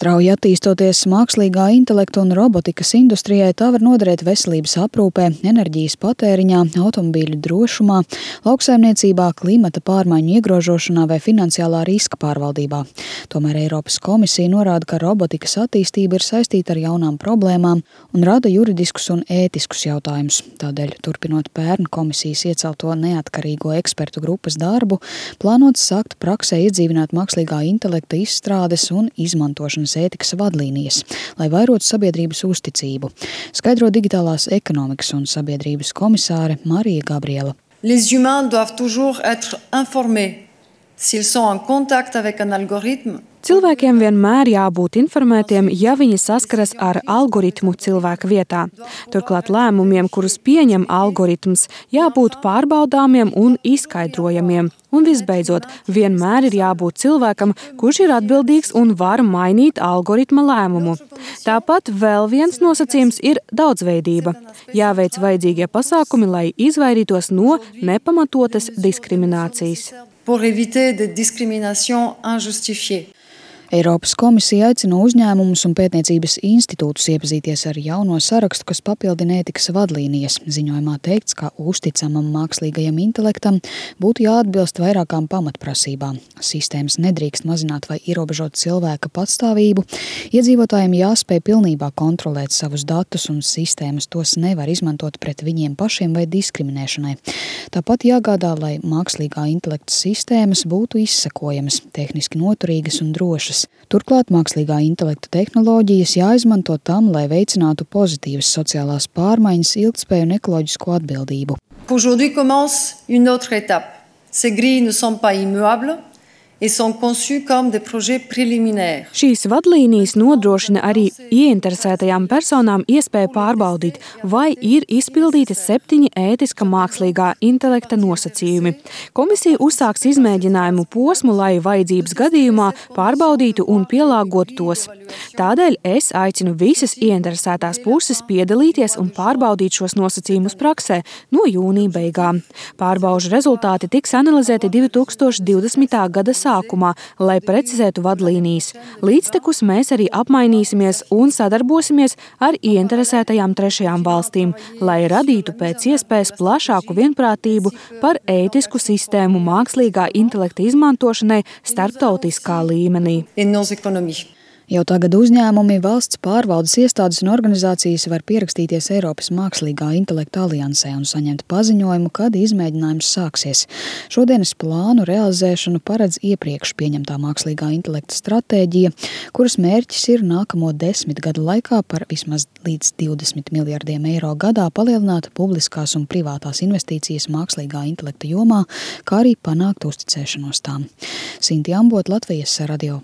Strauji attīstoties mākslīgā intelekta un robotikas industrijai, tā var noderēt veselības aprūpē, enerģijas patēriņā, automobīļu drošumā, lauksaimniecībā, klimata pārmaiņu iegrožošanā vai finansiālā riska pārvaldībā. Tomēr Eiropas komisija norāda, ka robotikas attīstība ir saistīta ar jaunām problēmām un rada juridiskus un ētiskus jautājumus. Tādēļ, turpinot pērn komisijas iecelto neatkarīgo ekspertu grupas darbu, plānots sākt praksē iedzīvināt mākslīgā intelekta izstrādes un izmantošanas ētikas vadlīnijas, lai vairotu sabiedrības uzticību, skaidro digitālās ekonomikas un sabiedrības komisāre Marija Gabriela. Les humains doivent toujours être informés s'ils sont en contact avec un algorithme. Cilvēkiem vienmēr jābūt informētiem, ja viņi saskaras ar algoritmu cilvēka vietā. Turklāt lēmumiem, kurus pieņem algoritms, jābūt pārbaudāmiem un izskaidrojamiem. Un visbeidzot, vienmēr ir jābūt cilvēkam, kurš ir atbildīgs un var mainīt algoritma lēmumu. Tāpat vēl viens nosacījums ir daudzveidība. Jāveic vajadzīgie pasākumi, lai izvairītos no nepamatotas diskriminācijas. Pour éviter des discriminations injustifiées. Eiropas komisija aicina uzņēmumus un pētniecības institūtus iepazīties ar jauno sarakstu, kas papildina ētikas vadlīnijas. Ziņojumā teikts, ka uzticamam mākslīgajam intelektam būtu jāatbilst vairākām pamatprasībām. Sistēmas nedrīkst mazināt vai ierobežot cilvēka patstāvību, iedzīvotājiem jāspēj pilnībā kontrolēt savus datus un sistēmas tos nevar izmantot pret viņiem pašiem vai diskriminēšanai. Tāpat jāgādā, lai mākslīgā intelekta sistēmas būtu izsekojamas, tehniski noturīgas un drošas. Turklāt mākslīgā intelekta tehnoloģijas jāizmanto tam, lai veicinātu pozitīvas sociālās pārmaiņas, ilgtspēju un ekoloģisko atbildību. Aujourd'hui commence une autre étape. Ces grilles ne sont pas immuables et sont conçues comme des projets préliminaires. Šīs vadlīnijas nodrošina arī ieinteresētajām personām iespēju pārbaudīt, vai ir izpildīti 7 ētiska mākslīgā intelekta nosacījumi. Komisija uzsāks izmēģinājumu posmu, lai vajadzības gadījumā pārbaudītu un pielāgotu tos. Tādēļ es aicinu visas ieinteresētās puses piedalīties un pārbaudīt šos nosacījumus praksē no jūnija beigām. Pārbaužu rezultāti tiks analizēti 2020. gada sākumā, lai precizētu vadlīnijas. Līdztekus mēs arī apmainīsimies un sadarbosimies ar ieinteresētajām trešajām valstīm, lai radītu pēc iespējas plašāku vienprātību par ētisku sistēmu mākslīgā intelekta izmantošanai starptautiskā līmenī. Jau tagad uzņēmumi, valsts pārvaldes iestādes un organizācijas var pierakstīties Eiropas mākslīgā intelekta aliansē un saņemt paziņojumu, kad izmēģinājums sāksies. Šodienas plānu realizēšanu paredz iepriekš pieņemtā mākslīgā intelekta stratēģija, kuras mērķis ir nākamo 10 gadu laikā par vismaz līdz 20 miljardiem eiro gadā palielināt publiskās un privātās investīcijas mākslīgā intelekta jomā, kā arī panākt uzticēšanos tām. Sinti Ambot, Latvijas radio.